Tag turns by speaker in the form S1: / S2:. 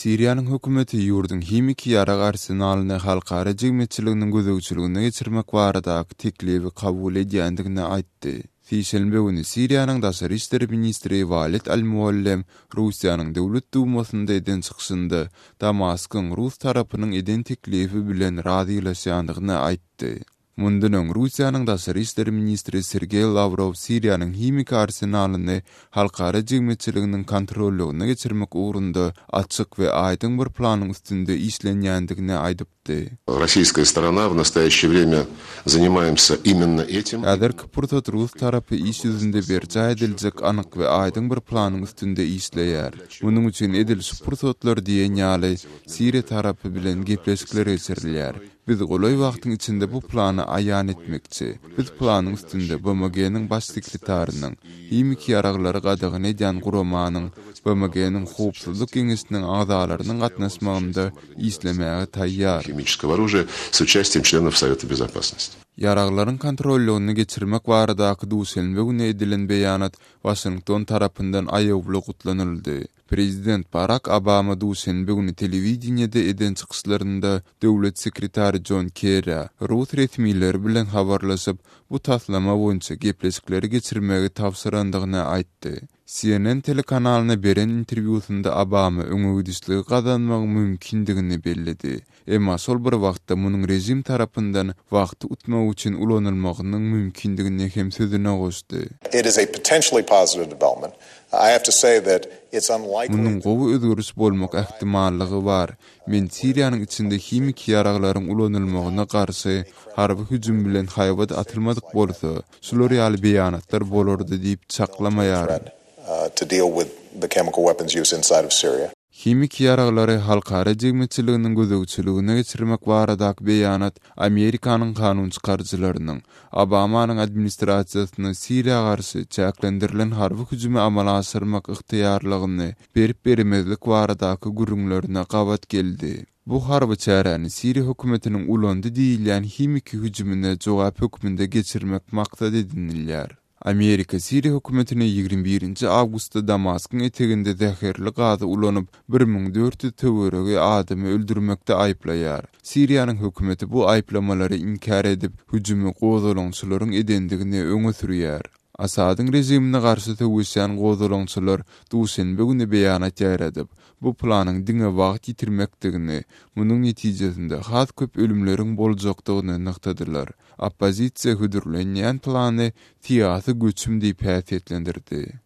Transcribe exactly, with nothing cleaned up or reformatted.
S1: Siriýanyň hökümeti ýurduň himiki ýarag arsenalyny halkara jemgyýetçiliginiň gözegçiligine geçirmek baradaky teklibi kabul edýändigini aýtdy. Sişenbe güni Siriýanyň daşary işler ministri Walid al-Muallem Russiýanyň Döwlet Dumasynda eden çykyşynda Damaskyň rus tarapynyň eden teklibi bilen razylaşýandygyny aýtdy. Mundan öň Russiýanyň daşary işler ministri Sergeý Lawrow Siriýanyň himiki arsenalyny halkara jemgyýetçiliginiň kontrollygyna geçirmek ugrunda açyk we aýdyň bir planyň üstünde işlenýändigini aýdypdy.
S2: Российская сторона в настоящее время занимаемся именно этим.
S1: Häzirki pursat rus tarapy iş ýüzünde berjaý ediljek anyk we aýdyň bir planyň üstünde işleýär. Munuň üçin edil şu pursatlar diýen ýaly Siriýa tarapy bilen gepleşikler geçirilýär. Biz golaý wagtyň içinde bu plany aýan etmekçi. Biz planyň üstünde B M G-niň baş sekretarynyň, himiki ýaraglary gadagan edýän guramanyň, B M G-niň Howpsuzlyk geňeşiniň agzalarynyň gatnaşmagynda işlemäge taýýar.
S2: Химического оружия с участием членов Совета Безопасности.
S1: Ýaraglaryň kontrollygyny geçirmek baradaky duşenbe güni edilen beýanat Waşington tarapyndan aýawly gutlanyldy. Prezident Barak Obama duşenbe güni telewideniýede eden çykyşlarynda döwlet sekretary John Kerry rus resmileri bilen habarlaşyp, bu taslama boýunça gepleşikleri geçirmegi tabşyrandygyny aýtdy. C N N telekanalyna beren interwýusynda Obama öňe gidişligi gazanmagyň mümkindigini belledi. Emma şol bir wagtda munuň režim tarapyndan wagty utmak üçin ulanylmagynyň mümkindigini hem sözüne goşdy.
S3: It is a potentially positive development. I have to say that it's unlikely
S1: Munuň gowy özgeriş bolmak ähtimallygy bar. Men Siriýanyň içinde himiki ýaraglaryň ulanylmagyna garşy harby hüjüm bilen haýbat atylmadyk bolsa, şular ýaly beýanatlar bolardy diýip çaklamaýaryn.
S3: uh, to deal with the chemical weapons use inside of Syria.
S1: Himiki ýaraglary halkara jemgyýetçiliginiň gözegçiligine geçirmek baradaky beýanat Amerikanyň kanun çykaryjylarynyň Obamanyň administrasiýasyna Siriýa garşy çäklendirilen harby hüjümi amala aşyrmak ygtyýarlygyny berip bermezlik baradaky gürrüňlerine gabat geldi. Bu harby çäräni Siriýa hökümetiniň ulandy diýilýän himiki hüjümine jogap hökmünde geçirmek maksat edinilýär. Amerika Siriýa hökümetini ýigrimi birinji awgustda Damaskyň eteginde zäherli gazy ulanyp bir müň dört ýüz töweregi adamy öldürmekde aýyplaýar. Siriýanyň hökümeti bu aýyplamalary inkär edip, hüjümi gozgalaňçylaryň edendigini öňe sürýär. Asadyň režimine garşy söweşýän gozgalaňçylar duşenbe güni beýanat ýaýradyp, bu planyň diňe wagt ýitirmekdigini, munuň netijesinde has köp ölümleriň boljakdygyny nygtadylar. Oppozisiýa hödürlenýän plany syýasy göçüm diýip häsiýetlendirdi.